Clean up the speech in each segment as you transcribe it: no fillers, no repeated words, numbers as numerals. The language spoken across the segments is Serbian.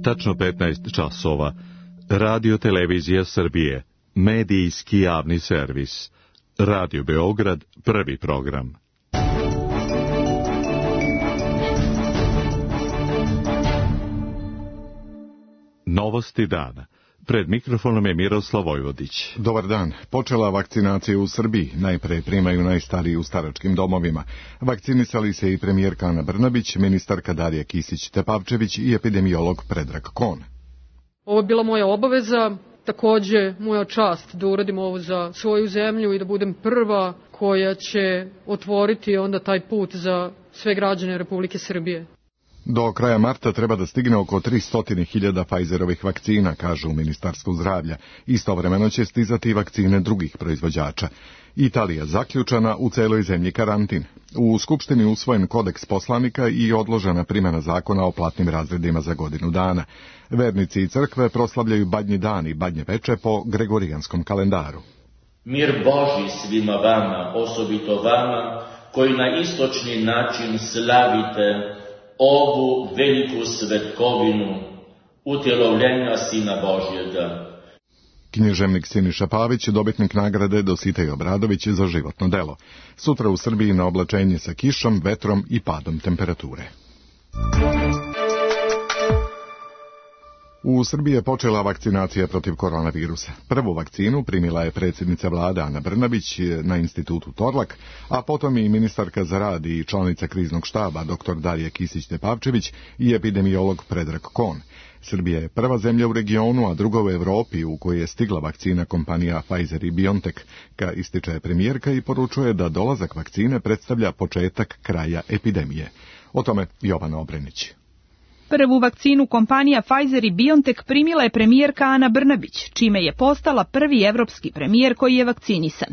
tačno 15 časova. Radio Televizija Srbije, medijski javni servis. Radio Beograd, prvi program. Novosti dana. Pred mikrofonom je Miroslav Vojvodić. Dobar dan. Počela vakcinacija u Srbiji. Najpre primaju najstariji u staračkim domovima. Vakcinisali se i premijerka Ana Brnabić, ministarka Darija Kisić-Tepavčević i epidemiolog Predrag Kon. Ovo je bila moja obaveza, takođe moja čast da uradim ovo za svoju zemlju i da budem prva koja će otvoriti onda taj put za sve građane Republike Srbije. Do kraja marta treba da stigne oko 300.000 Pfizerovih vakcina, kažu u Ministarstvu zdravlja. Istovremeno će stizati i vakcine drugih proizvođača. Italija zaključana, u celoj zemlji karantin. U Skupštini usvojen kodeks poslanika i odložena primjena zakona o platnim razredima za godinu dana. Vernici i crkve proslavljaju Badnji dan i Badnje veče po gregorijanskom kalendaru. Mir Božji svima vama, osobito vama, koji na istočni način slavite ovu veliku svetkovinu utjelovljenja Sina Božjega. Književnik Siniša Pavić, dobitnik nagrade Dositej Obradović za životno delo. Sutra u Srbiji na oblačenje sa kišom, vetrom i padom temperature. U Srbiji je počela vakcinacija protiv koronavirusa. Prvu vakcinu primila je predsjednica vlade Ana Brnabić na institutu Torlak, a potom i ministarka za rad i članica kriznog štaba dr. Darija Kisić-Tepavčević i epidemiolog Predrag Kon. Srbija je prva zemlja u regionu, a druga u Evropi u kojoj je stigla vakcina kompanija Pfizer i BioNTech, ističe premijerka i poručuje da dolazak vakcine predstavlja početak kraja epidemije. O tome Jovana Obrenić. Prvu vakcinu kompanija Pfizer i BioNTech primila je premijerka Ana Brnabić, čime je postala prvi evropski premijer koji je vakcinisan.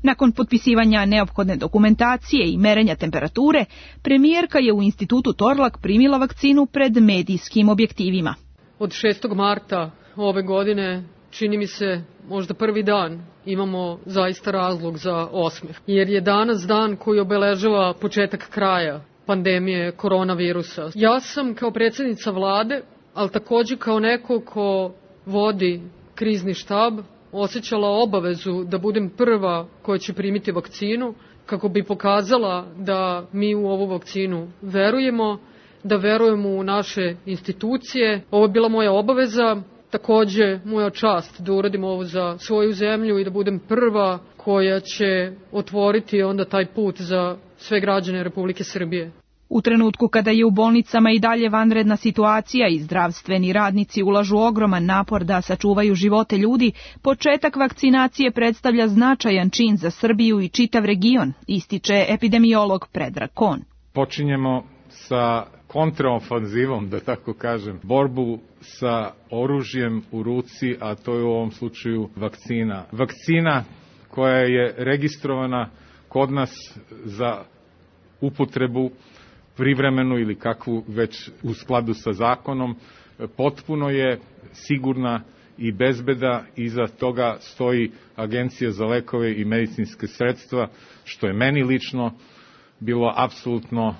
Nakon potpisivanja neophodne dokumentacije i merenja temperature, premijerka je u institutu Torlak primila vakcinu pred medijskim objektivima. Od 6. marta ove godine, čini mi se možda prvi dan, imamo zaista razlog za osmeh. Jer je danas dan koji obeležava početak kraja pandemije koronavirusa. Ja sam kao predsjednica vlade, ali također kao neko ko vodi krizni štab, osjećala obavezu da budem prva koja će primiti vakcinu, kako bi pokazala da mi u ovu vakcinu verujemo, da verujemo u naše institucije. Ovo je bila moja obaveza, također moja čast da uradim ovo za svoju zemlju i da budem prva koja će otvoriti onda taj put za sve građane Republike Srbije. U trenutku kada je u bolnicama i dalje vanredna situacija i zdravstveni radnici ulažu ogroman napor da sačuvaju živote ljudi, početak vakcinacije predstavlja značajan čin za Srbiju i čitav region, ističe epidemiolog Predrag Kon. Počinjemo sa kontraofanzivom, da tako kažem, borbu sa oružjem u ruci, a to je u ovom slučaju vakcina. Vakcina koja je registrovana kod nas za upotrebu privremenu ili kakvu već u skladu sa zakonom, potpuno je sigurna i bezbeda. Iza toga stoji Agencija za lekove i medicinske sredstva, što je meni lično bilo apsolutno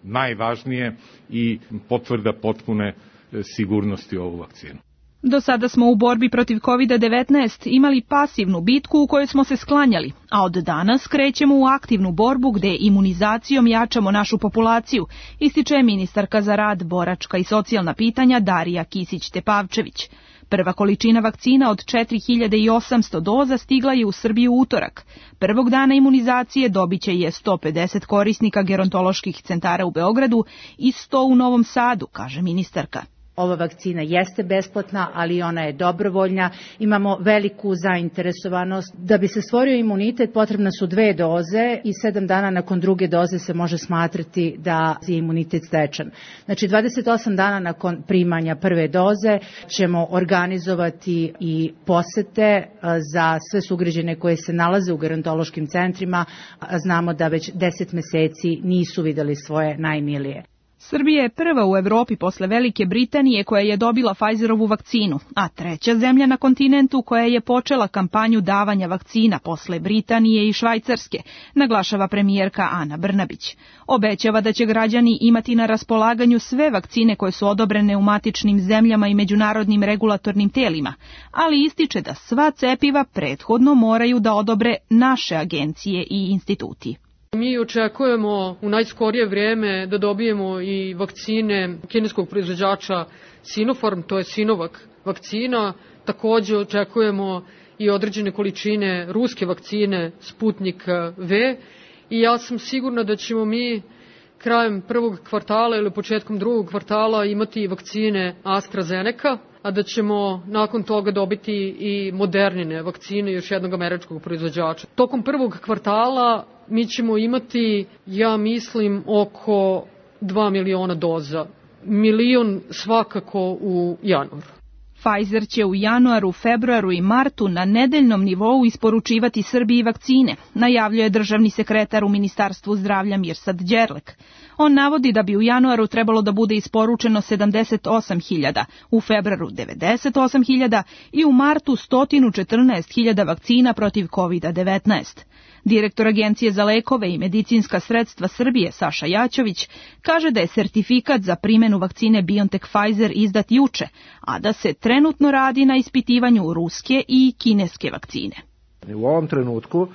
najvažnije i potvrda potpune sigurnosti ovu vakcinu. Do sada smo u borbi protiv COVID-19 imali pasivnu bitku u kojoj smo se sklanjali, a od danas krećemo u aktivnu borbu gde imunizacijom jačamo našu populaciju, ističe ministarka za rad, boračka i socijalna pitanja Darija Kisić-Tepavčević. Prva količina vakcina od 4800 doza stigla je u Srbiju utorak. Prvog dana imunizacije dobiće je 150 korisnika gerontoloških centara u Beogradu i 100 u Novom Sadu, kaže ministarka. Ova vakcina jeste besplatna, ali ona je dobrovoljna. Imamo veliku zainteresovanost. Da bi se stvorio imunitet potrebne su 2 doze i 7 dana nakon druge doze se može smatrati da je imunitet stečen. Znači 28 dana nakon primanja prve doze ćemo organizovati i posete za sve sugrađane koje se nalaze u gerontološkim centrima. Znamo da već 10 meseci nisu videli svoje najmilije. Srbija je prva u Evropi posle Velike Britanije koja je dobila Pfizerovu vakcinu, a treća zemlja na kontinentu koja je počela kampanju davanja vakcina posle Britanije i Švajcarske, naglašava premijerka Ana Brnabić. Obećava da će građani imati na raspolaganju sve vakcine koje su odobrene u matičnim zemljama i međunarodnim regulatornim telima, ali ističe da sva cepiva prethodno moraju da odobre naše agencije i instituti. Mi očekujemo u najskorije vrijeme da dobijemo i vakcine kineskog proizvođača Sinopharm, to je Sinovac vakcina. Također očekujemo i određene količine ruske vakcine Sputnik V i ja sam sigurna da ćemo mi krajem prvog kvartala ili početkom drugog kvartala imati vakcine AstraZeneca, a da ćemo nakon toga dobiti i Modernine vakcine još jednog američkog proizvođača. Tokom prvog kvartala mi ćemo imati, ja mislim, oko 2 miliona doza. Milion svakako u januaru. Pfizer će u januaru, februaru i martu na nedeljnom nivou isporučivati Srbiji vakcine, najavljuje državni sekretar u Ministarstvu zdravlja Mirsad Đerlek. On navodi da bi u januaru trebalo da bude isporučeno 78.000, u februaru 98.000 i u martu 114.000 vakcina protiv COVID-19. Direktor Agencije za lekove i medicinska sredstva Srbije Saša Jaćović kaže da je sertifikat za primjenu vakcine BioNTech Pfizer izdat juče, a da se trenutno radi na ispitivanju ruske i kineske vakcine. U ovom trenutku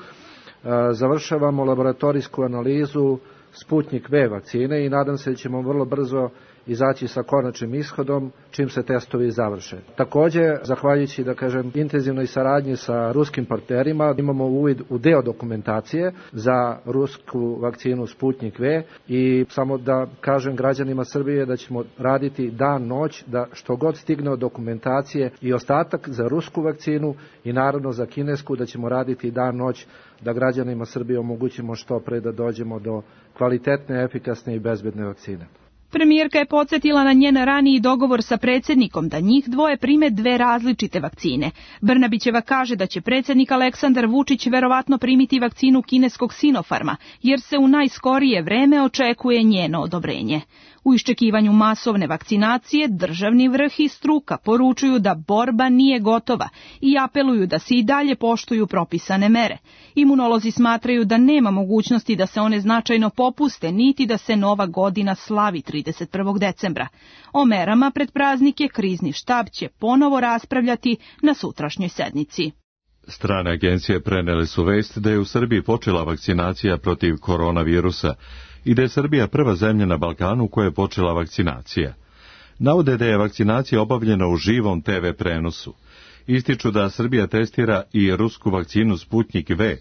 završavamo laboratorijsku analizu Sputnik V vakcine i nadam se da ćemo vrlo brzo izaći sa konačnim ishodom čim se testovi završe. Također, zahvaljujući, intenzivnoj saradnji sa ruskim partnerima, imamo uvid u deo dokumentacije za rusku vakcinu Sputnik V i samo da kažem građanima Srbije da ćemo raditi dan, noć, da što god stigne od dokumentacije i ostatak za rusku vakcinu i naravno za kinesku, da ćemo raditi dan, noć, da građanima Srbije omogućimo što pre da dođemo do kvalitetne, efikasne i bezbedne vakcine. Premijerka je podsjetila na njen raniji dogovor sa predsjednikom da njih dvoje prime dve različite vakcine. Brnabićeva kaže da će predsjednik Aleksandar Vučić verovatno primiti vakcinu kineskog Sinopharma, jer se u najskorije vreme očekuje njeno odobrenje. U iščekivanju masovne vakcinacije državni vrh i struka poručuju da borba nije gotova i apeluju da se i dalje poštuju propisane mere. Imunolozi smatraju da nema mogućnosti da se one značajno popuste, niti da se nova godina slavi 31. decembra. O merama pred praznike krizni štab će ponovo raspravljati na sutrašnjoj sednici. Strane agencije prenele su vest da je u Srbiji počela vakcinacija protiv koronavirusa i da je Srbija prva zemlja na Balkanu koja je počela vakcinacija. Navode da je vakcinacija obavljena u živom TV prenosu. Ističu da Srbija testira i rusku vakcinu Sputnik V,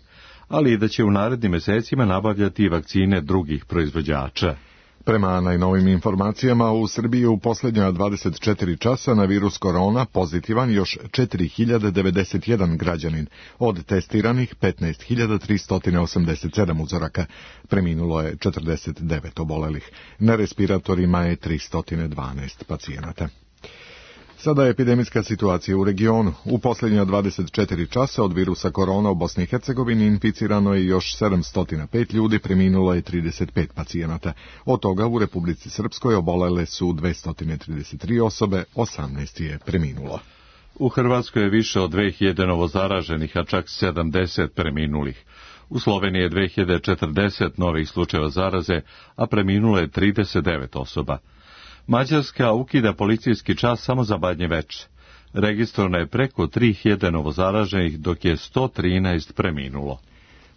ali i da će u narednim mesecima nabavljati vakcine drugih proizvođača. Prema najnovim informacijama, u Srbiji u posljednja 24 časa na virus korona pozitivan još 4091 građanin, od testiranih 15.387 uzoraka. Preminulo je 49 obolelih. Na respiratorima je 312 pacijenata. Sada je epidemijska situacija u regionu. U posljednja 24 časa od virusa korona u Bosni i Hercegovini inficirano je još 705 ljudi, preminulo je 35 pacijenata. Od toga u Republici Srpskoj obolele su 233 osobe, 18 je preminulo. U Hrvatskoj je više od 2000 novozaraženih, a čak 70 preminulih. U Sloveniji je 2040 novih slučajeva zaraze, a preminulo je 39 osoba. Mađarska ukida policijski čas samo za Badnje Veče. Registrovano je preko 3000 novozaraženih, dok je 113 preminulo.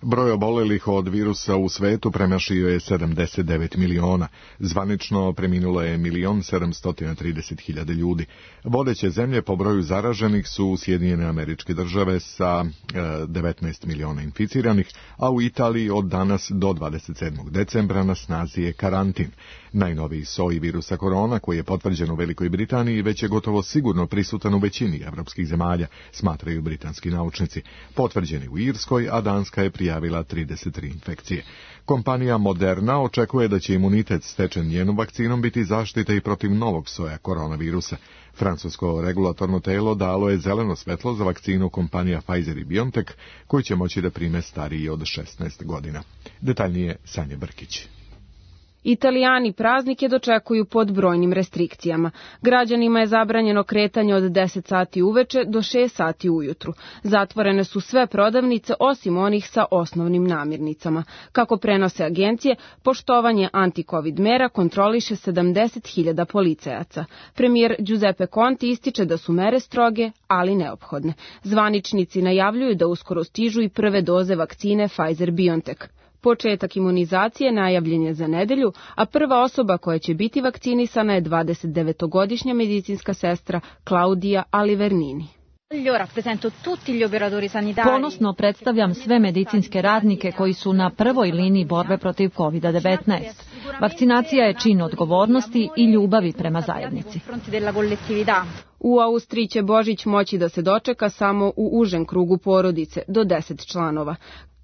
Broj obolelih od virusa u svetu premašio je 79 miliona. Zvanično preminulo je 1.730.000 ljudi. Vodeće zemlje po broju zaraženih su Sjedinjene Američke Države sa 19 miliona inficiranih, a u Italiji od danas do 27. decembra na snazi je karantin. Najnoviji soj virusa korona, koji je potvrđen u Velikoj Britaniji, već je gotovo sigurno prisutan u većini evropskih zemalja, smatraju britanski naučnici. Potvrđen je u Irskoj, a Danska je prijavila 33 infekcije. Kompanija Moderna očekuje da će imunitet stečen njenom vakcinom biti zaštita i protiv novog soja koronavirusa. Francusko regulatorno telo dalo je zeleno svetlo za vakcinu kompanija Pfizer i BioNTech, koji će moći da prime stariji od 16 godina. Detaljnije Sanja Brkić. Italijani praznike dočekuju pod brojnim restrikcijama. Građanima je zabranjeno kretanje od 10 sati uveče do 6 sati ujutru. Zatvorene su sve prodavnice osim onih sa osnovnim namirnicama. Kako prenose agencije, poštovanje anti-covid mera kontroliše 70.000 policajaca. Premijer Giuseppe Conte ističe da su mere stroge, ali neophodne. Zvaničnici najavljuju da uskoro stižu i prve doze vakcine Pfizer-BioNTech. Početak imunizacije najavljen je za nedelju, a prva osoba koja će biti vakcinisana je 29-godišnja medicinska sestra Claudia Alivernini. Ponosno predstavljam sve medicinske radnike koji su na prvoj liniji borbe protiv COVID-19. Vakcinacija je čin odgovornosti i ljubavi prema zajednici. U Austriji će Božić moći da se dočeka samo u užem krugu porodice, do 10 članova.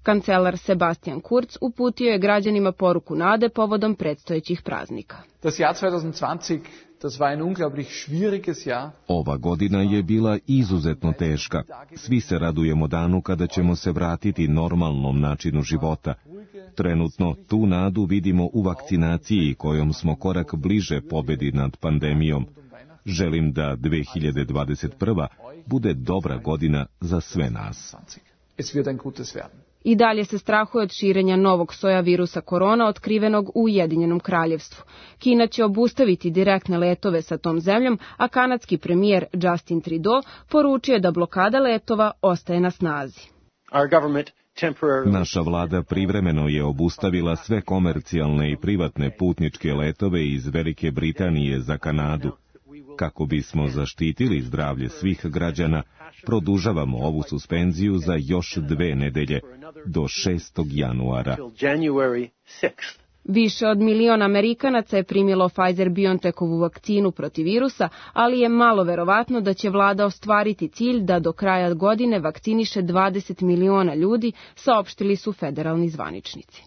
Kancelar Sebastian Kurz uputio je građanima poruku nade povodom predstojećih praznika. Ova godina je bila izuzetno teška. Svi se radujemo danu kada ćemo se vratiti normalnom načinu života. Trenutno tu nadu vidimo u vakcinaciji kojom smo korak bliže pobedi nad pandemijom. Želim da 2021. bude dobra godina za sve nas. I dalje se strahuje od širenja novog soja virusa korona otkrivenog u Ujedinjenom kraljevstvu. Kina će obustaviti direktne letove sa tom zemljom, a kanadski premijer Justin Trudeau poručio da blokada letova ostaje na snazi. Naša vlada privremeno je obustavila sve komercijalne i privatne putničke letove iz Velike Britanije za Kanadu. Kako bismo zaštitili zdravlje svih građana, produžavamo ovu suspenziju za još 2 nedelje, do 6. januara. Više od 1 milion Amerikanaca je primilo Pfizer-BioNTechovu vakcinu protiv virusa, ali je malo verovatno da će vlada ostvariti cilj da do kraja godine vakciniše 20 miliona ljudi, saopštili su federalni zvaničnici.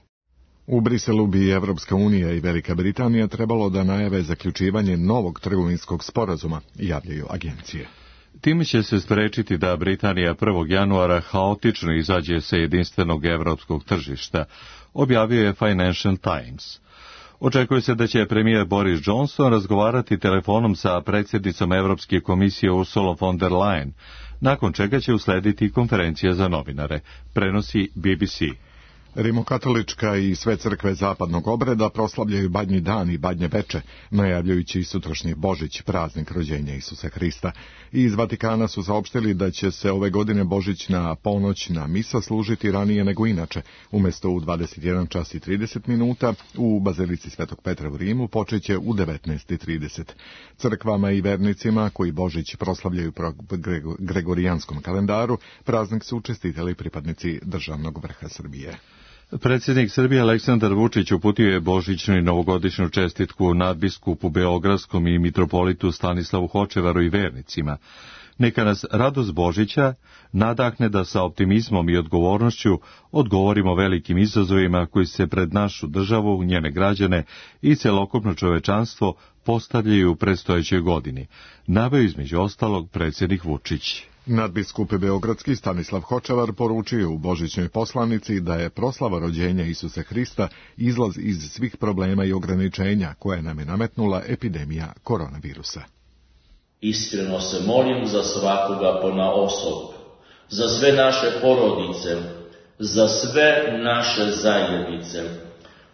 U Briselu bi Evropska unija i Velika Britanija trebalo da najave zaključivanje novog trgovinskog sporazuma, javljaju agencije. Time će se sprečiti da Britanija 1. januara haotično izađe sa jedinstvenog evropskog tržišta, objavio je Financial Times. Očekuje se da će premijer Boris Johnson razgovarati telefonom sa predsjednicom Evropske komisije Ursula von der Leyen, nakon čega će uslediti konferencija za novinare, prenosi BBC. Rimokatolička i sve crkve zapadnog obreda proslavljaju Badnji dan i Badnje veče, najavljujući i sutrašnji Božić, praznik rođenja Isusa Hrista. Iz Vatikana su saopštili da će se ove godine božićna ponoćna misa služiti ranije nego inače. Umjesto u 21 čas i 30 minuta, u Bazilici Svetog Petra u Rimu počeće u 19:30. Crkvama i vernicima koji Božić proslavljaju po gregorijanskom kalendaru, praznik su čestitali pripadnici državnog vrha Srbije. Predsjednik Srbije Aleksandar Vučić uputio je božićnu i novogodišnju čestitku nadbiskupu Beogradskom i mitropolitu Stanislavu Hočevaru i vernicima. Neka nas radost Božića nadahne da sa optimizmom i odgovornošću odgovorimo velikim izazovima koji se pred našu državu, njene građane i celokupno čovečanstvo postavljaju u predstojećoj godini, naveo između ostalog predsjednik Vučić. Nadbiskup Beogradski Stanislav Hočevar poručio u božićnoj poslanici da je proslava rođenja Isusa Hrista izlaz iz svih problema i ograničenja koje nam je nametnula epidemija koronavirusa. Iskreno se molim za svakoga ponaosob, za sve naše porodice, za sve naše zajednice,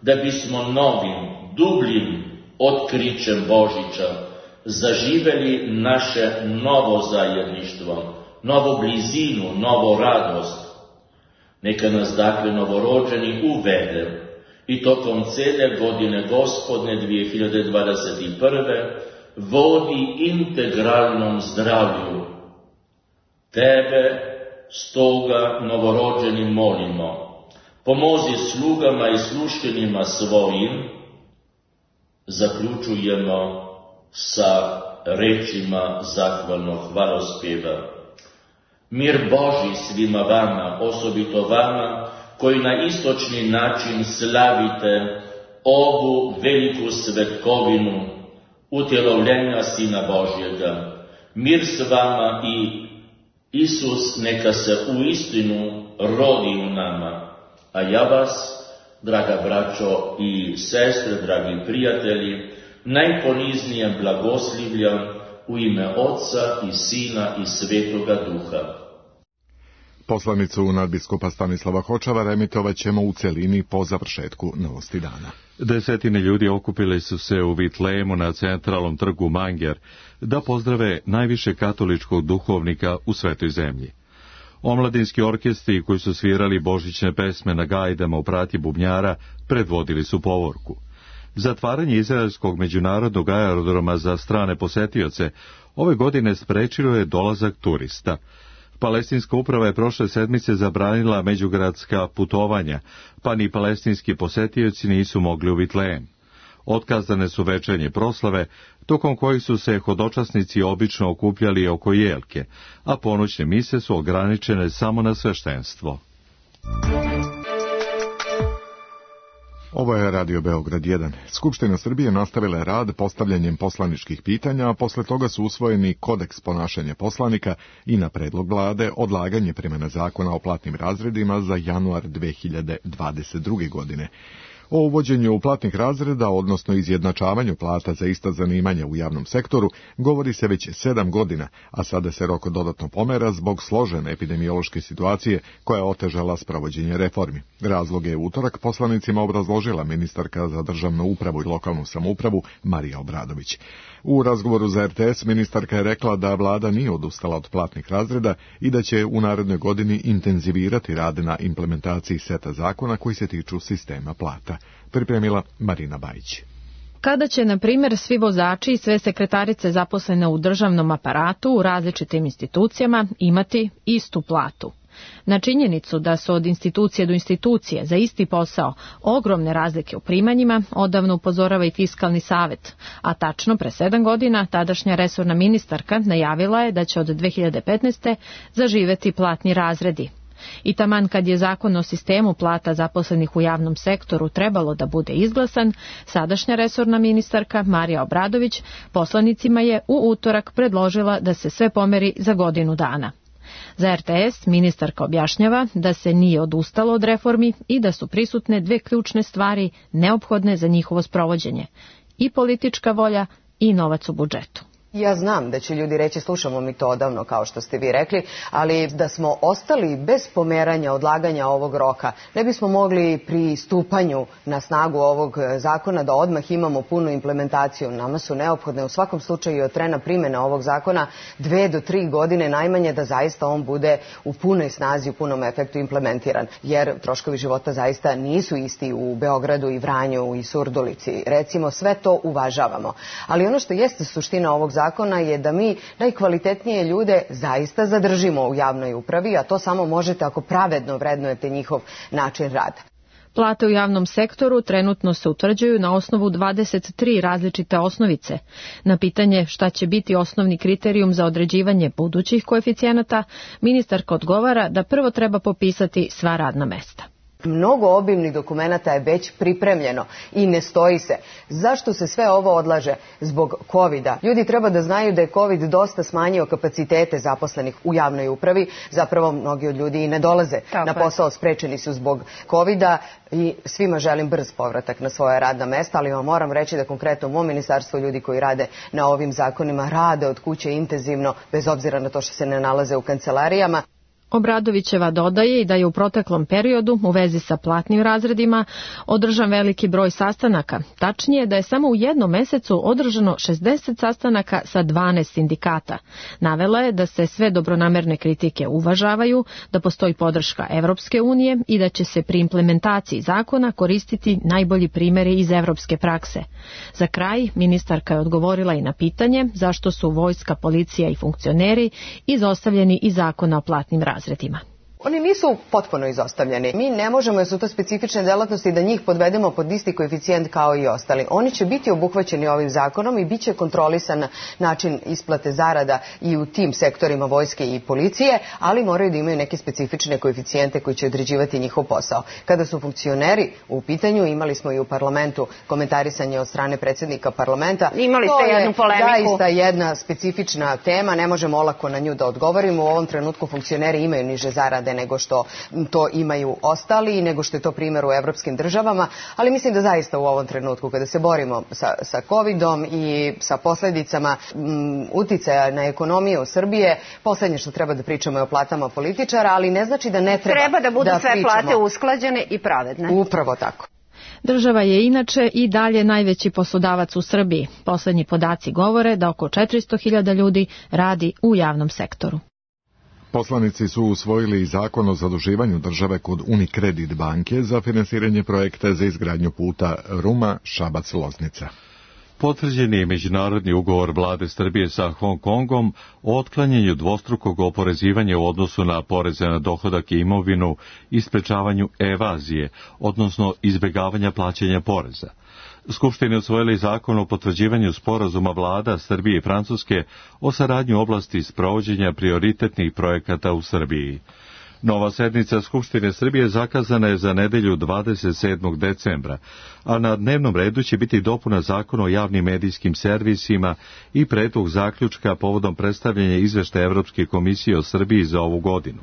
da bismo novim, dubljim otkrićem Božića zaživeli naše novo zajedništvo, novu blizinu, novu radost. Neka nas dakle novorođeni uvede i tokom cele godine Gospodne 2021. vodi integralnom zdravlju. Tebe stoga novorođeni molimo, pomozi slugama i sluštenima svojim. Zaključujemo sa rečima zahvalnog hvalospjeva. Mir Božji svima vama, osobito vama, koji na istočni način slavite ovu veliku svetkovinu utjelovljenja Sina Božjega. Mir s vama i Isus neka se uistinu rodi u nama, a ja vas draga braćo i sestre, dragi prijatelji, najponiznije blagoslivljam u ime Otca i Sina i Svetoga Duha. Poslanicu nadbiskupa Stanislava Hočavara emitovat ćemo u celini po završetku Novosti dana. Desetine ljudi okupili su se u Vitlejemu na centralnom trgu Manger da pozdrave najviše katoličkog duhovnika u svetoj zemlji. Omladinski orkestri koji su svirali božićne pesme na gajdama u prati bubnjara predvodili su povorku. Zatvaranje izraelskog međunarodnog aerodroma za strane posetioce ove godine sprečilo je dolazak turista. Palestinska uprava je prošle sedmice zabranila međugradska putovanja, pa ni palestinski posetioci nisu mogli u Vitlejem. Otkazane su večernje proslave, tokom kojih su se hodočasnici obično okupljali oko jelke, a ponoćne mise su ograničene samo na sveštenstvo. Ovo je Radio Beograd 1. Skupština Srbije nastavila je rad postavljanjem poslaničkih pitanja, a posle toga su usvojeni kodeks ponašanja poslanika i na predlog vlade odlaganje primjene zakona o platnim razredima za januar 2022. godine. O uvođenju platnih razreda, odnosno izjednačavanju plata za ista zanimanja u javnom sektoru, govori se već 7 godina, a sada se rok dodatno pomera zbog složene epidemiološke situacije koja je otežala sprovođenje reformi. Razloge je utorak poslanicima obrazložila ministarka za državnu upravu i lokalnu samoupravu Marija Obradović. U razgovoru za RTS ministarka je rekla da vlada nije odustala od platnih razreda i da će u narednoj godini intenzivirati rad na implementaciji seta zakona koji se tiču sistema plata. Pripremila Marina Bajić. Kada će, na primjer, svi vozači i sve sekretarice zaposlene u državnom aparatu u različitim institucijama imati istu platu? Na činjenicu da su od institucije do institucije za isti posao ogromne razlike u primanjima odavno upozorava i Fiskalni savet, a tačno pre 7 godina tadašnja resorna ministarka najavila je da će od 2015. zaživeti platni razredi. I taman kad je zakon o sistemu plata zaposlenih u javnom sektoru trebalo da bude izglasan, sadašnja resorna ministarka Marija Obradović poslanicima je u utorak predložila da se sve pomeri za godinu dana. Za RTS ministarka objašnjava da se nije odustalo od reformi i da su prisutne dve ključne stvari neophodne za njihovo sprovođenje: i politička volja i novac u budžetu. Ja znam da će ljudi reći slušamo mi to odavno kao što ste vi rekli, ali da smo ostali bez pomeranja, odlaganja ovog roka, ne bismo mogli pri stupanju na snagu ovog zakona da odmah imamo punu implementaciju. Nama su neophodne u svakom slučaju od trena primjene ovog zakona 2 do 3 godine najmanje da zaista on bude u punoj snazi, u punom efektu implementiran. Jer troškovi života zaista nisu isti u Beogradu i Vranju i Surdulici. Recimo sve to uvažavamo. Ali ono što jeste suština ovog zakona je da mi najkvalitetnije ljude zaista zadržimo u javnoj upravi, a to samo možete ako pravedno vrednujete njihov način rada. Plate u javnom sektoru trenutno se utvrđuju na osnovu 23 različite osnovice. Na pitanje šta će biti osnovni kriterijum za određivanje budućih koeficijenata, ministarka odgovara da prvo treba popisati sva radna mesta. Mnogo obimnih dokumenata je već pripremljeno i ne stoji se. Zašto se sve ovo odlaže? Zbog COVID-a. Ljudi treba da znaju da je COVID dosta smanjio kapacitete zaposlenih u javnoj upravi. Zapravo mnogi od ljudi i ne dolaze na posao, sprečeni su zbog COVID-a i svima želim brz povratak na svoje radna mesta, ali vam moram reći da konkretno u mom ministarstvu ljudi koji rade na ovim zakonima rade od kuće intenzivno, bez obzira na to što se ne nalaze u kancelarijama. Obradovićeva dodaje i da je u proteklom periodu u vezi sa platnim razredima održan veliki broj sastanaka. Tačnije da je samo u jednom mesecu održano 60 sastanaka sa 12 sindikata. Navela je da se sve dobronamerne kritike uvažavaju, da postoji podrška Evropske unije i da će se pri implementaciji zakona koristiti najbolji primjeri iz evropske prakse. Za kraj, ministarka je odgovorila i na pitanje zašto su vojska, policija i funkcioneri izostavljeni iz zakona o platnim razredima. Oni nisu potpuno izostavljeni. Mi ne možemo, jer su to specifične delatnosti, da njih podvedemo pod isti koeficijent kao i ostali. Oni će biti obuhvaćeni ovim zakonom i bit će kontrolisan način isplate zarada i u tim sektorima vojske i policije, ali moraju da imaju neke specifične koeficijente koji će određivati njihov posao. Kada su funkcioneri u pitanju, imali smo i u parlamentu komentarisanje od strane predsjednika parlamenta. Imali ste jednu polemiku. To je zaista jedna specifična tema, ne možemo olako na nju da odgovorimo. U ovom trenutku funkcioneri imaju niže zarade rade nego što to imaju ostali i nego što je to primjer u evropskim državama, ali mislim da zaista u ovom trenutku kada se borimo sa covidom i sa posljedicama uticaja na ekonomiju Srbije, poslednje što treba da pričamo je o platama političara, ali ne znači da ne treba da budu sve pričamo. Plate usklađene i pravedne. Upravo tako. Država je inače i dalje najveći poslodavac u Srbiji. Poslednji podaci govore da oko 400.000 ljudi radi u javnom sektoru. Poslanici su usvojili zakon o zaduživanju države kod Unicredit banke za finansiranje projekta za izgradnju puta Ruma-Šabac-Loznica. Potvrđen je međunarodni ugovor vlade Srbije sa Hong Kongom o otklanjanju dvostrukog oporezivanja u odnosu na poreze na dohodak i imovinu i sprečavanju evazije, odnosno izbjegavanja plaćanja poreza. Skupštine usvojili zakon o potvrđivanju sporazuma vlada Srbije i Francuske o saradnji u oblasti sprovođenja prioritetnih projekata u Srbiji. Nova sednica Skupštine Srbije zakazana je za nedelju 27. decembra, a na dnevnom redu će biti dopuna zakona o javnim medijskim servisima i predlog zaključka povodom predstavljanja izveštaja Evropske komisije o Srbiji za ovu godinu.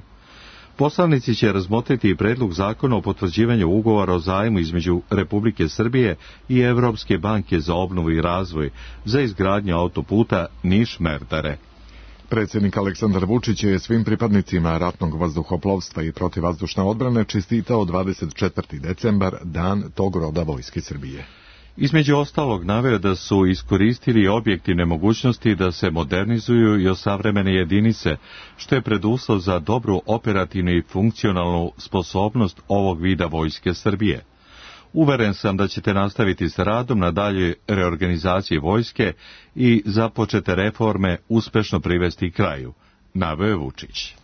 Poslanici će razmotriti i predlog zakona o potvrđivanju ugovora o zajmu između Republike Srbije i Evropske banke za obnovu i razvoj za izgradnju autoputa Niš-Merdare. Predsjednik Aleksandar Vučić je svim pripadnicima ratnog vazduhoplovstva i protivvazdušne odbrane čestitao 24. decembar, dan tog roda Vojske Srbije. Između ostalog naveo da su iskoristili objektivne mogućnosti da se modernizuju i osavremene jedinice, što je preduslov za dobru operativnu i funkcionalnu sposobnost ovog vida Vojske Srbije. Uveren sam da ćete nastaviti sa radom na daljoj reorganizaciji vojske i započete reforme uspešno privesti kraju, naveo je Vučić.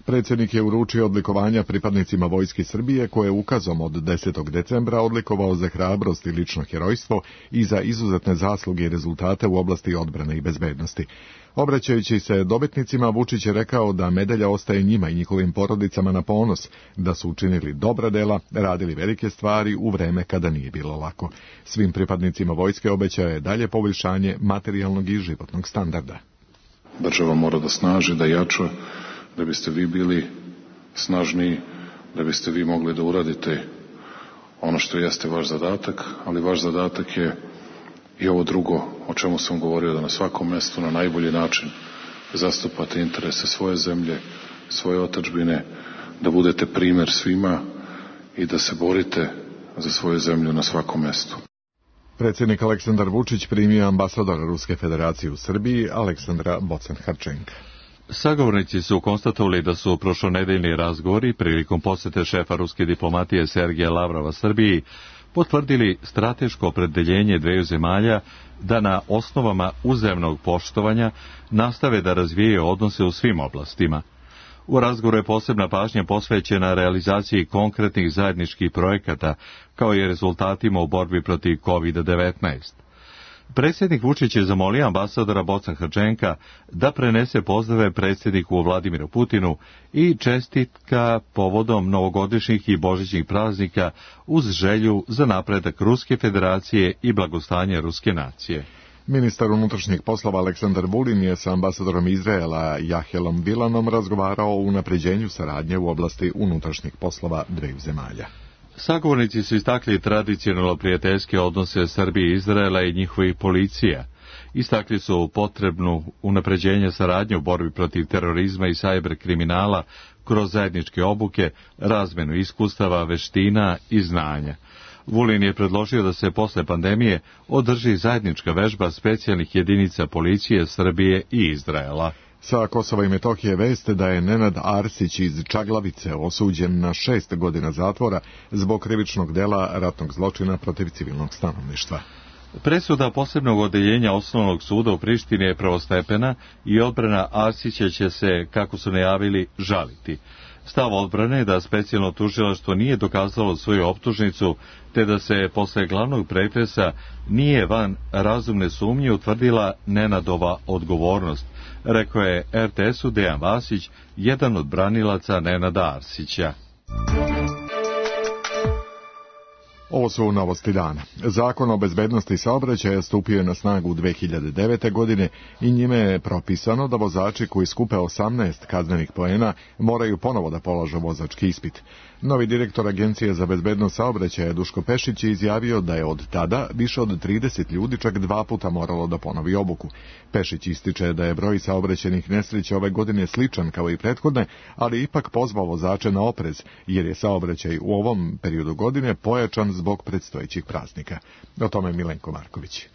Predsjednik je uručio odlikovanja pripadnicima Vojske Srbije koje je ukazom od 10. decembra odlikovao za hrabrost i lično herojstvo i za izuzetne zasluge i rezultate u oblasti odbrane i bezbednosti. Obraćajući se dobitnicima, Vučić je rekao da medalja ostaje njima i njihovim porodicama na ponos, da su učinili dobra dela, radili velike stvari u vreme kada nije bilo lako. Svim pripadnicima vojske obećao je dalje poboljšanje materijalnog i životnog standarda. Država mora da snaži, da jača, da biste vi bili snažniji, da biste vi mogli da uradite ono što jeste vaš zadatak, ali vaš zadatak je i ovo drugo, o čemu sam govorio, da na svakom mestu na najbolji način zastupate interese svoje zemlje, svoje otadžbine, da budete primer svima i da se borite za svoju zemlju na svakom mestu. Predsjednik Aleksandar Vučić primio ambasadora Ruske federacije u Srbiji, Aleksandra Bocan-Harčenka. Sagovornici su konstatovali da su prošlonedeljni razgovori prilikom posete šefa ruske diplomatije Sergeja Lavrova Srbiji potvrdili strateško opredeljenje dveju zemalja da na osnovama uzajamnog poštovanja nastave da razvijaju odnose u svim oblastima. U razgovoru je posebna pažnja posvećena realizaciji konkretnih zajedničkih projekata kao i rezultatima u borbi protiv COVID-19. Predsjednik Vučić je zamolio ambasadora Bocan-Harčenka da prenese pozdrave predsjedniku Vladimiru Putinu i čestitka povodom novogodišnjih i božićnih praznika uz želju za napredak Ruske federacije i blagostanje ruske nacije. Ministar unutrašnjih poslova Aleksandar Vulin je sa ambasadorom Izraela Jahelom Bilanom razgovarao o unapređenju saradnje u oblasti unutrašnjih poslova dveju zemalja. Sagovornici su istakli tradicionalno prijateljske odnose Srbije i Izraela i njihovih policija. Istakli su potrebnu unapređenje saradnje u borbi protiv terorizma i sajber kriminala kroz zajedničke obuke, razmenu iskustava, veština i znanja. Vulin je predložio da se posle pandemije održi zajednička vežba specijalnih jedinica policije Srbije i Izraela. Sa Kosova i Metohije veste da je Nenad Arsić iz Čaglavice osuđen na 6 godina zatvora zbog krivičnog dela ratnog zločina protiv civilnog stanovništva. Presuda posebnog odeljenja Osnovnog suda u Prištini je prvostepena i odbrana Arsića će se, kako su najavili, žaliti. Stav odbrane je da specijalno tužilaštvo nije dokazalo svoju optužnicu, te da se posle glavnog pretresa nije van razumne sumnje utvrdila Nenadova odgovornost, rekao je RTS-u Dejan Vasić, jedan od branilaca Nenada Arsića. Ovo su novosti dana. Zakon o bezbednosti saobraćaja stupio je na snagu 2009. godine i njime je propisano da vozači koji skupe 18 kaznenih poena moraju ponovo da polažu vozački ispit. Novi direktor Agencije za bezbednost saobraćaja Duško Pešić je izjavio da je od tada više od 30 ljudi čak 2 puta moralo da ponovi obuku. Pešić ističe da je broj saobraćajnih nesreća ove godine sličan kao i prethodne, ali ipak pozvao vozače na oprez, jer je saobraćaj u ovom periodu godine pojačan zbog predstojećih praznika. O tome Milenko Marković.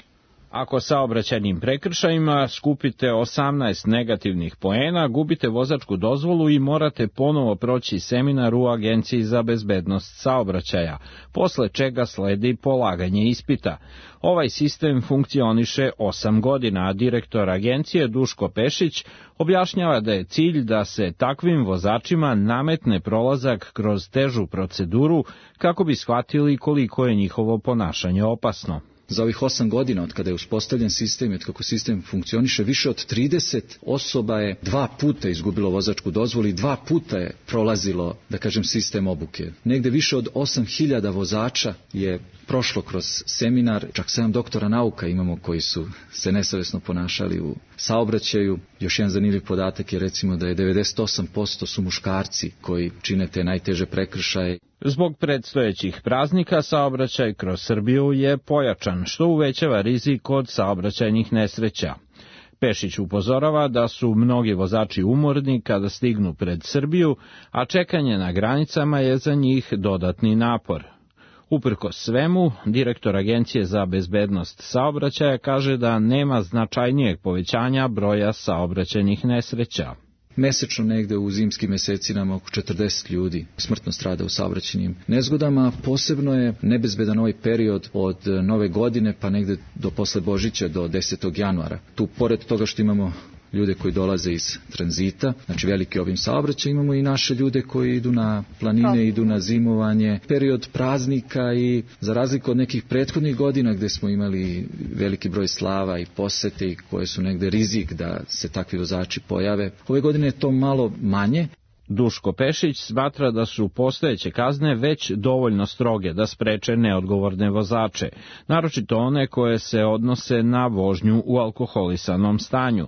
Ako saobraćajnim prekršajima skupite 18 negativnih poena, gubite vozačku dozvolu i morate ponovo proći seminar u Agenciji za bezbednost saobraćaja, posle čega sledi polaganje ispita. Ovaj sistem funkcioniše 8 godina, a direktor agencije Duško Pešić objašnjava da je cilj da se takvim vozačima nametne prolazak kroz težu proceduru kako bi shvatili koliko je njihovo ponašanje opasno. Za ovih 8 godina od kada je uspostavljen sistem i od kako sistem funkcioniše, više od 30 osoba je 2 puta izgubilo vozačku dozvolu i 2 puta je prolazilo, da kažem, sistem obuke. Negde više od 8.000 vozača je prošlo kroz seminar, čak 7 doktora nauka imamo koji su se nesavesno ponašali u saobraćaju. Još jedan zanimljiv podatak je recimo da je 98% su muškarci koji čine te najteže prekršaje. Zbog predstojećih praznika saobraćaj kroz Srbiju je pojačan, što uvećava rizik od saobraćajnih nesreća. Pešić upozorava da su mnogi vozači umorni kada stignu pred Srbiju, a čekanje na granicama je za njih dodatni napor. Uprkos svemu, direktor Agencije za bezbednost saobraćaja kaže da nema značajnijeg povećanja broja saobraćajnih nesreća. Mesečno negde u zimskim mesecima oko 40 ljudi smrtno strada u saobraćajnim nezgodama. Posebno je nebezbedan ovaj period od Nove godine pa negde do posle Božića do 10. januara. Tu pored toga što imamo ljude koji dolaze iz tranzita, znači veliki obim saobraćaja, imamo i naše ljude koji idu na planine, idu na zimovanje, period praznika i za razliku od nekih prethodnih godina gde smo imali veliki broj slava i posete i koje su negde rizik da se takvi vozači pojave. Ove godine je to malo manje. Duško Pešić smatra da su postojeće kazne već dovoljno stroge da spreče neodgovorne vozače, naročito one koje se odnose na vožnju u alkoholisanom stanju.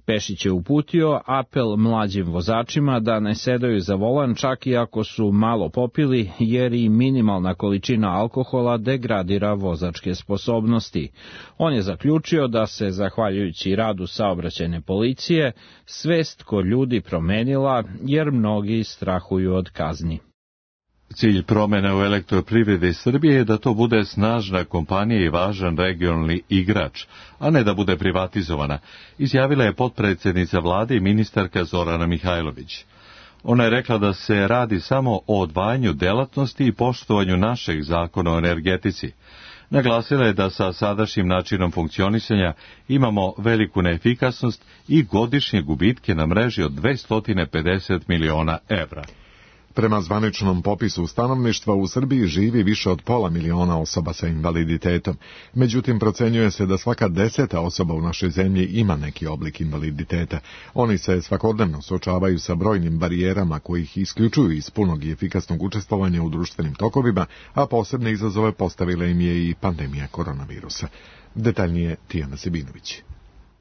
Pešić je uputio apel mlađim vozačima da ne sedaju za volan čak i ako su malo popili, jer i minimalna količina alkohola degradira vozačke sposobnosti. On je zaključio da se, zahvaljujući radu saobraćajne policije, svest kod ljudi promenila jer mnogi strahuju od kazni. Cilj promjene u elektroprivredi Srbije je da to bude snažna kompanija i važan regionalni igrač, a ne da bude privatizovana, izjavila je potpredsjednica vlade i ministarka Zorana Mihajlović. Ona je rekla da se radi samo o odvajanju delatnosti i poštovanju našeg zakona o energetici. Naglasila je da sa sadašnjim načinom funkcionisanja imamo veliku neefikasnost i godišnje gubitke na mreži od 250 miliona evra. Prema zvaničnom popisu stanovništva u Srbiji živi više od 500.000 osoba sa invaliditetom. Međutim, procenjuje se da svaka 10. osoba u našoj zemlji ima neki oblik invaliditeta. Oni se svakodnevno suočavaju sa brojnim barijerama koji ih isključuju iz punog i efikasnog učestvovanja u društvenim tokovima, a posebne izazove postavila im je i pandemija koronavirusa. Detaljnije Tijana Sebinović.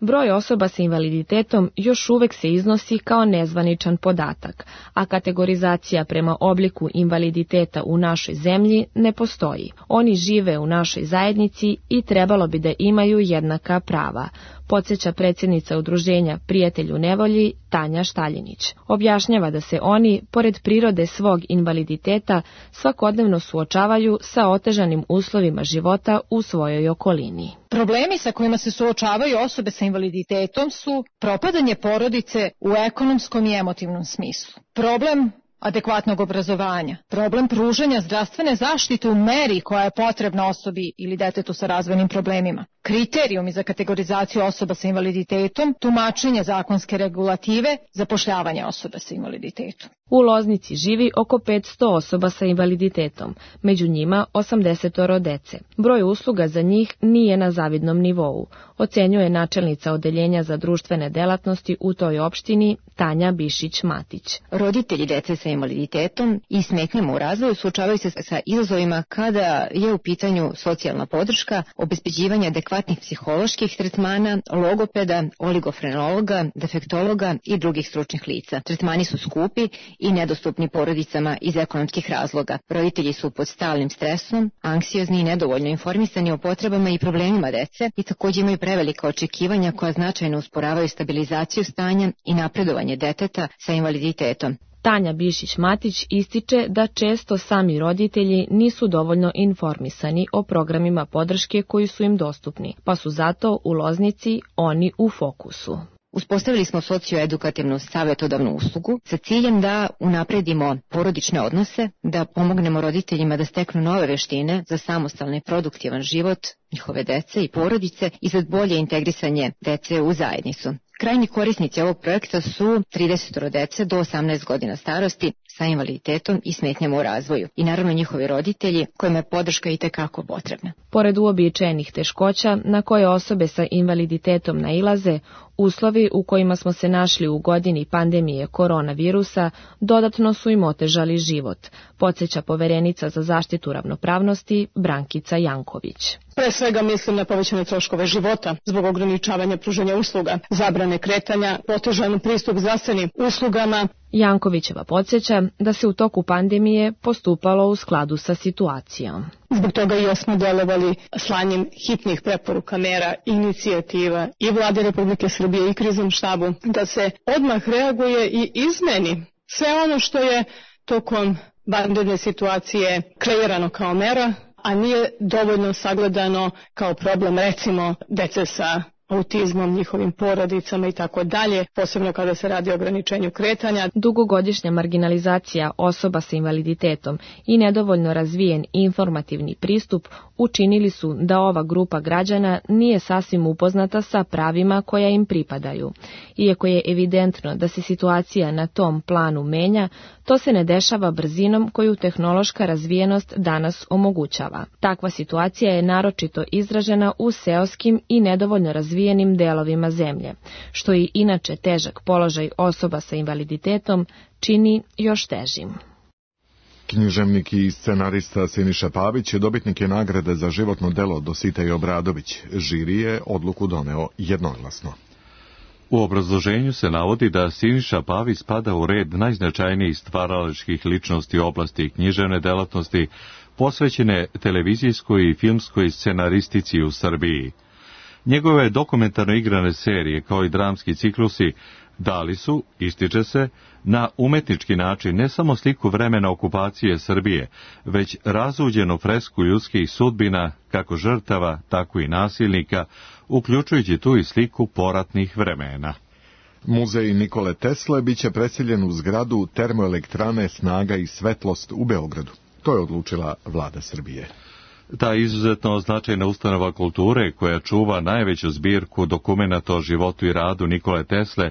Broj osoba sa invaliditetom još uvek se iznosi kao nezvaničan podatak, a kategorizacija prema obliku invaliditeta u našoj zemlji ne postoji. Oni žive u našoj zajednici i trebalo bi da imaju jednaka prava, podsjeća predsjednica udruženja Prijatelj u nevolji Tanja Štaljinić. Objašnjava da se oni, pored prirode svog invaliditeta, svakodnevno suočavaju sa otežanim uslovima života u svojoj okolini. Problemi sa kojima se suočavaju osobe sa invaliditetom su propadanje porodice u ekonomskom i emotivnom smislu, problem adekvatnog obrazovanja, problem pružanja zdravstvene zaštite u meri koja je potrebna osobi ili detetu sa razvojnim problemima, kriterijumi za kategorizaciju osoba sa invaliditetom, tumačenje zakonske regulative, zapošljavanje osoba sa invaliditetom. U Loznici živi oko 500 osoba sa invaliditetom, među njima 80 dece. Broj usluga za njih nije na zavidnom nivou, ocenjuje načelnica Odeljenja za društvene delatnosti u toj opštini Tanja Bišić-Matić. Roditelji dece sa invaliditetom i smetnjama u razvoju suočavaju se sa izazovima kada je u pitanju socijalna podrška, obezbeđivanje adekvatnih psiholoških tretmana, logopeda, oligofrenologa, defektologa i drugih stručnih lica. Tretmani su skupi i nedostupni porodicama iz ekonomskih razloga. Roditelji su pod stalnim stresom, anksiozni i nedovoljno informisani o potrebama i problemima dece i također imaju prevelika očekivanja koja značajno usporavaju stabilizaciju stanja i napredovanje deteta sa invaliditetom. Tanja Bišić-Matić ističe da često sami roditelji nisu dovoljno informisani o programima podrške koji su im dostupni, pa su zato u Loznici oni u fokusu. Uspostavili smo socioedukativnu savjetodavnu uslugu sa ciljem da unapredimo porodične odnose, da pomognemo roditeljima da steknu nove veštine za samostalan i produktivan život njihove dece i porodice i za bolje integrisanje dece u zajednicu. Krajnji korisnici ovog projekta su 30 dece do 18 godina starosti sa invaliditetom i smetnjama u razvoju i naravno njihovi roditelji kojima je podrška itekako potrebna. Pored uobičajenih teškoća na koje osobe sa invaliditetom nailaze, uslovi u kojima smo se našli u godini pandemije koronavirusa dodatno su im otežali život, podsjeća poverenica za zaštitu ravnopravnosti Brankica Janković. Pre svega mislim na povećane troškove života zbog ograničavanja pružanja usluga, zabrane kretanja, otežan pristup zdravstvenim uslugama. Jankovićeva podsjeća da se u toku pandemije postupalo u skladu sa situacijom. Zbog toga i smo delovali slanjem hitnih preporuka, mera, inicijativa i Vlade Republike Srbije i Kriznom štabu da se odmah reaguje i izmeni sve ono što je tokom vanredne situacije kreirano kao mera, a nije dovoljno sagledano kao problem, recimo, dece sa autizmom, njihovim porodicama i tako dalje, posebno kada se radi o ograničenju kretanja. Dugogodišnja marginalizacija osoba sa invaliditetom i nedovoljno razvijen informativni pristup učinili su da ova grupa građana nije sasvim upoznata sa pravima koja im pripadaju. Iako je evidentno da se situacija na tom planu menja, to se ne dešava brzinom koju tehnološka razvijenost danas omogućava. Takva situacija je naročito izražena u seoskim i nedovoljno razvijenim delovima zemlje, što i inače težak položaj osoba sa invaliditetom čini još težim. Književnik i scenarista Siniša Pavić dobitnik je nagrade za životno delo Dositej Obradović. Žiri je odluku doneo jednoglasno. U obrazloženju se navodi da Siniša Pavić spada u red najznačajnijih stvaralačkih ličnosti u oblasti književne delatnosti, posvećene televizijskoj i filmskoj scenaristici u Srbiji. Njegove dokumentarno igrane serije, kao i dramski ciklusi, dali su, ističe se, na umetnički način ne samo sliku vremena okupacije Srbije, već razuđenu fresku ljudskih sudbina, kako žrtava, tako i nasilnika, uključujući tu i sliku poratnih vremena. Muzej Nikole Tesle biće preseljen u zgradu termoelektrane Snaga i svetlost u Beogradu. To je odlučila vlada Srbije. Ta izuzetno značajna ustanova kulture, koja čuva najveću zbirku dokumenata o životu i radu Nikole Tesle,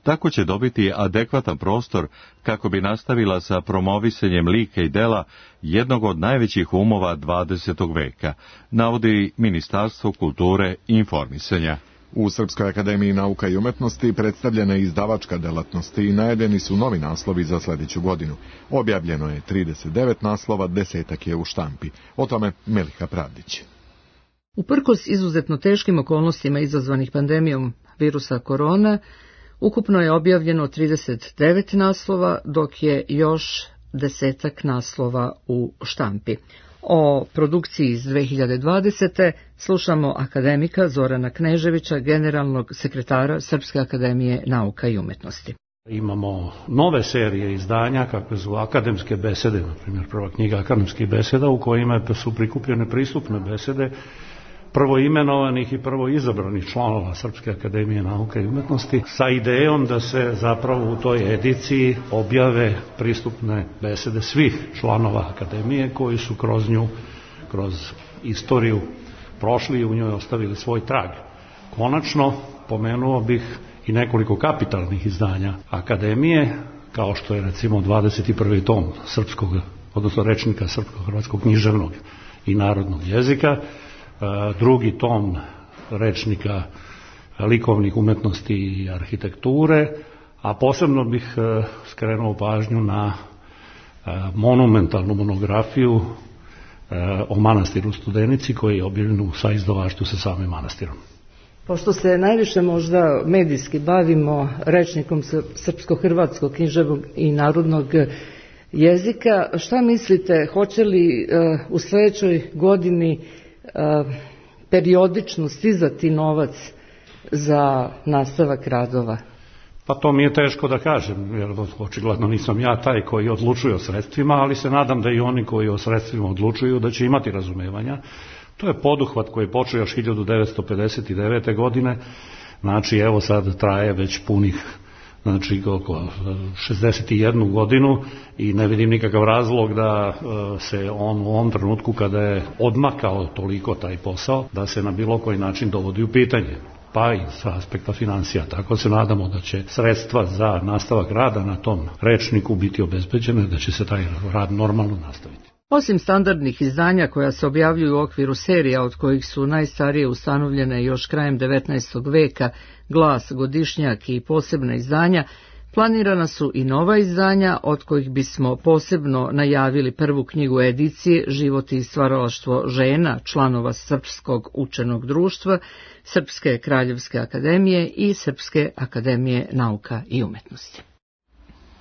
tako će dobiti adekvatan prostor kako bi nastavila sa promovisanjem lika i dela jednog od najvećih umova 20. veka, navodi Ministarstvo kulture i informisanja. U Srpskoj akademiji nauka i umetnosti predstavljena je izdavačka delatnost i najavljeni su novi naslovi za sljedeću godinu. Objavljeno je 39 naslova, 10 je u štampi. O tome Meliha Pravdić. Uprkos izuzetno teškim okolnostima izazvanih pandemijom virusa korona, ukupno je objavljeno 39 naslova, dok je još 10 naslova u štampi. O produkciji iz 2020. slušamo akademika Zorana Kneževića, generalnog sekretara Srpske akademije nauka i umetnosti. Imamo nove serije izdanja, kakve su akademske besede, na primjer prva knjiga akademskih beseda, u kojima su prikupljene pristupne besede prvo imenovanih i prvo izabranih članova Srpske akademije nauka i umetnosti, sa idejom da se zapravo u toj ediciji objave pristupne besede svih članova akademije koji su kroz nju, kroz istoriju prošli i u njoj ostavili svoj trag. Konačno, pomenuo bih i nekoliko kapitalnih izdanja akademije, kao što je recimo 21. tom srpskog, odnosno rečnika srpsko-hrvatskog književnog i narodnog jezika, drugi tom rečnika likovnih umetnosti i arhitekture, a posebno bih skrenuo pažnju na monumentalnu monografiju o manastiru Studenici koji je objavljen u saizdavaštvu sa samim manastirom. Pošto se najviše možda medijski bavimo rečnikom srpsko-hrvatskog književnog i narodnog jezika, šta mislite, hoće li u sledećoj godini periodično stizati novac za nastavak radova? Pa to mi je teško da kažem, jer očigledno nisam ja taj koji odlučuje o sredstvima, ali se nadam da i oni koji o sredstvima odlučuju da će imati razumevanja. To je poduhvat koji je počeo još 1959. godine, znači evo sad traje već punih, znači oko 61 godinu i ne vidim nikakav razlog da se on u ovom trenutku kada je odmakao toliko taj posao, da se na bilo koji način dovodi u pitanje, pa i sa aspekta financija. Tako se nadamo da će sredstva za nastavak rada na tom rečniku biti obezbeđene, da će se taj rad normalno nastaviti. Osim standardnih izdanja koja se objavljuju u okviru serija od kojih su najstarije ustanovljene još krajem 19. veka, Glas, Godišnjak i posebna izdanja, planirana su i nova izdanja od kojih bismo posebno najavili prvu knjigu edicije Život i stvaralaštvo žena, članova Srpskog učenog društva, Srpske kraljevske akademije i Srpske akademije nauka i umetnosti.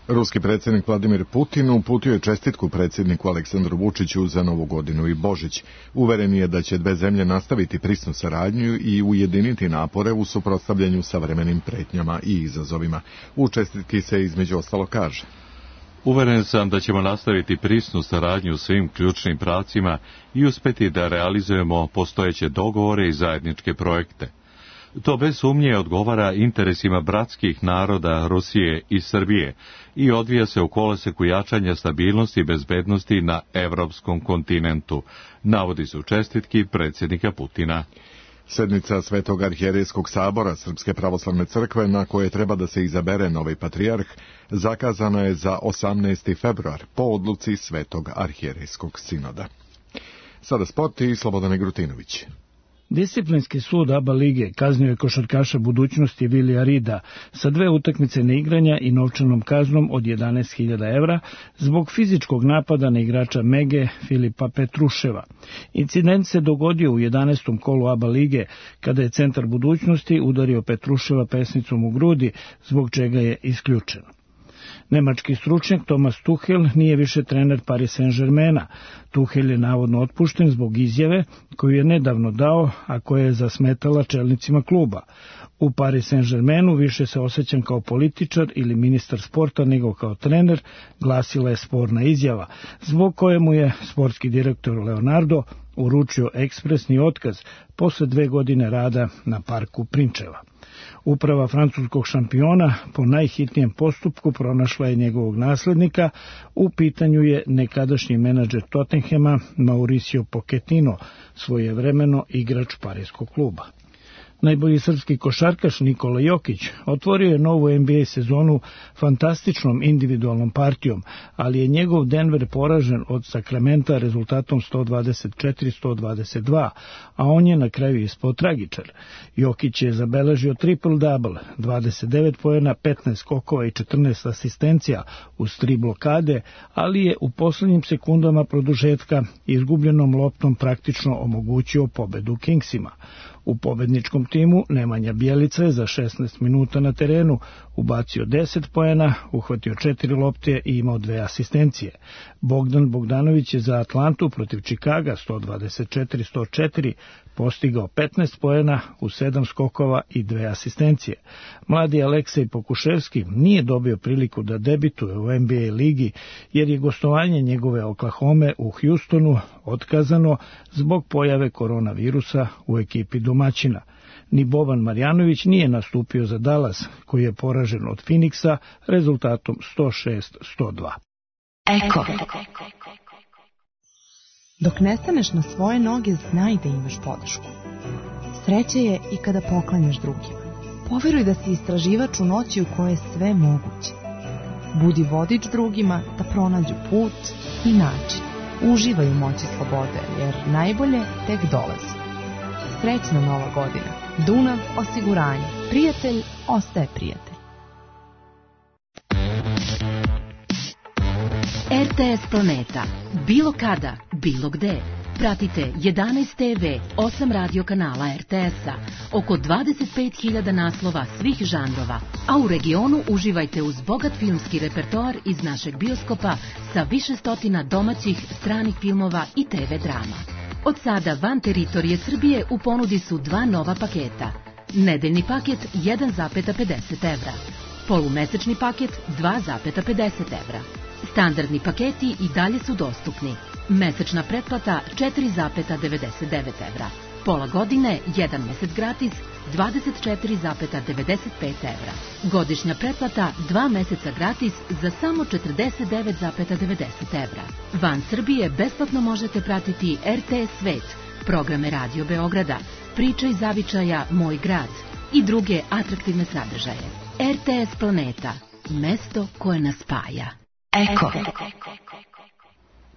Ruski predsjednik Vladimir Putin uputio je čestitku predsjedniku Aleksandru Vučiću za Novu godinu i Božić. Uveren je da će dve zemlje nastaviti prisnu saradnju i ujediniti napore u suprotstavljanju savremenim pretnjama i izazovima. U čestitki se između ostalo kaže: Uveren sam da ćemo nastaviti prisnu saradnju u svim ključnim pravcima i uspeti da realizujemo postojeće dogovore i zajedničke projekte. To bez sumnje odgovara interesima bratskih naroda Rusije i Srbije i odvija se u koloseku jačanja stabilnosti i bezbednosti na evropskom kontinentu, navodi se u čestitki predsjednika Putina. Sednica Svetog arhijerejskog sabora Srpske pravoslavne crkve, na koje treba da se izabere novi patrijarh, zakazana je za 18. februar po odluci Svetog arhijerejskog sinoda. Sada sport i Slobodan Egrutinović. Disciplinski sud ABA lige kaznio je košarkaša budućnosti Vilija Rida sa 2 utakmice neigranja i novčanom kaznom od 11.000 evra zbog fizičkog napada na igrača Mege Filipa Petruševa. Incident se dogodio u 11. kolu ABA lige kada je centar budućnosti udario Petruševa pesnicom u grudi, zbog čega je isključen. Nemački stručnjak Thomas Tuchel nije više trener Paris Saint-Germaina. Tuchel je navodno otpušten zbog izjave koju je nedavno dao, a koja je zasmetala čelnicima kluba. U Paris Saint-Germainu više se osjećam kao političar ili ministar sporta nego kao trener, glasila je sporna izjava, zbog koje mu je sportski direktor Leonardo uručio ekspresni otkaz posle 2 godine rada na parku Prinčeva. Uprava francuskog šampiona po najhitnijem postupku pronašla je njegovog naslednika, u pitanju je nekadašnji menadžer Tottenhema Mauricio Pochettino, svojevremeno igrač parijskog kluba. Najbolji srpski košarkaš Nikola Jokić otvorio je novu NBA sezonu fantastičnom individualnom partijom, ali je njegov Denver poražen od Sakramenta rezultatom 124-122, a on je na kraju ispao tragičar. Jokić je zabeležio triple-double, 29 poena, 15 skokova i 14 asistencija uz 3 blokade, ali je u poslednjim sekundama produžetka izgubljenom loptom praktično omogućio pobedu Kingsima. U pobedničkom timu Nemanja Bjelica je za 16 minuta na terenu ubacio 10 poena, uhvatio 4 lopte i imao 2 asistencije. Bogdan Bogdanović je za Atlantu protiv Čikaga 124-104 postigao 15 poena u 7 skokova i 2 asistencije. Mladi Aleksej Pokuševski nije dobio priliku da debituje u NBA ligi jer je gostovanje njegove Oklahome u Houstonu otkazano zbog pojave koronavirusa u ekipi domaćina. Ni Boban Marjanović nije nastupio za Dallas, koji je poražen od Phoenixa rezultatom 106-102. Eko. Dok ne staneš na svoje noge, znaj da imaš podršku. Sreća je i kada poklanjaš drugima. Poveruj da si istraživač u noći u kojoj je sve moguće. Budi vodič drugima da pronađu put i način. Uživaj u moći slobode, jer najbolje tek dolazi. Srećna Nova godina. Dunav osiguranje. Prijatelj ostaje prijatelj. RTS Planeta. Bilo kada, bilo gde. Pratite 11 TV, 8 radio kanala RTS-a, oko 25.000 naslova svih žanrova, a u regionu uživajte uz bogat filmski repertoar iz našeg bioskopa sa više stotina domaćih, stranih filmova i TV drama. Od sada van teritorije Srbije u ponudi su 2 nova paketa. Nedeljni paket 1,50 evra, polumesečni paket 2,50 evra. Standardni paketi i dalje su dostupni. Mesečna pretplata 4,99 evra. Pola godine, 1 mesec gratis, 24,95 evra. Godišnja pretplata 2 meseca gratis za samo 49,90 evra. Van Srbije besplatno možete pratiti RTS Svet, programe Radio Beograda, Priča iz zavičaja Moj grad i druge atraktivne sadržaje. RTS Planeta, mesto koje nas spaja. Eko.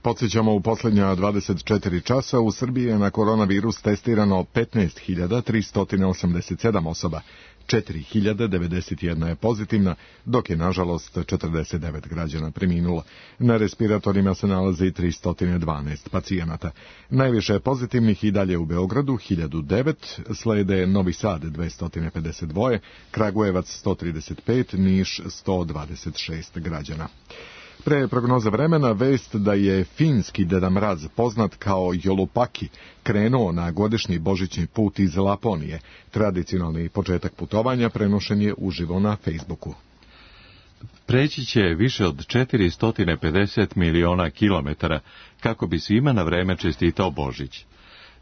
Podsjećamo, u posljednja 24 časa u Srbiji je na koronavirus testirano 15.387 osoba. 4.091 je pozitivna, dok je nažalost 49 građana preminulo. Na respiratorima se nalazi 312 pacijenata. Najviše je pozitivnih i dalje u Beogradu 1009, slede Novi Sad 252, Kragujevac 135, Niš 126 građana. Pre prognoze vremena vest da je finski Deda Mraz, poznat kao Jolupaki, krenuo na godišnji božićni put iz Laponije. Tradicionalni početak putovanja prenošen je uživo na Facebooku. Preći će više od 450 miliona kilometara kako bi svima na vreme čestitao Božić.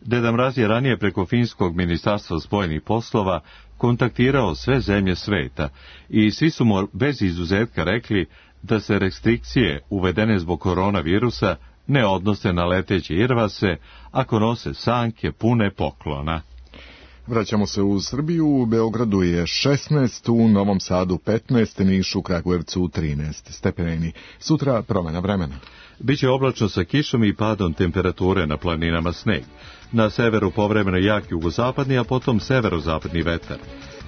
Deda Mraz je ranije preko finskog ministarstva spojenih poslova kontaktirao sve zemlje sveta i svi su mu bez izuzetka rekli da se restrikcije uvedene zbog koronavirusa ne odnose na leteće irvase ako nose sanke pune poklona. Vraćamo se u Srbiju. U Beogradu je 16, u Novom Sadu 15, Nišu, Kragujevcu 13 stepeni. Sutra promjena vremena. Biće oblačno sa kišom i padom temperature, na planinama sneg. Na severu povremeno jak jugozapadni, a potom severozapadni vetar.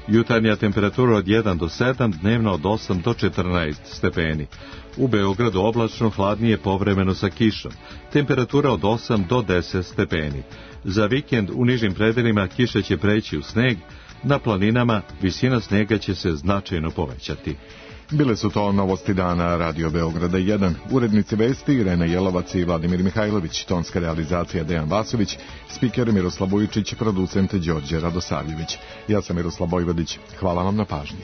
Jutarnja temperatura od 1 do 7, dnevno od 8 do 14 stepeni. U Beogradu oblačno, hladnije, povremeno sa kišom. Temperatura od 8 do 10 stepeni. Za vikend u nižim predelima kiša će preći u sneg, na planinama visina snega će se značajno povećati. Bile su to novosti dana Radio Beograda 1. Urednici vesti Irena Jelovac i Vladimir Mihajlović, tonska realizacija Dejan Vasović, spiker Miroslav Vujičić, producent Đorđe Radosavljević. Ja sam Miroslav Vojvodić. Hvala vam na pažnji.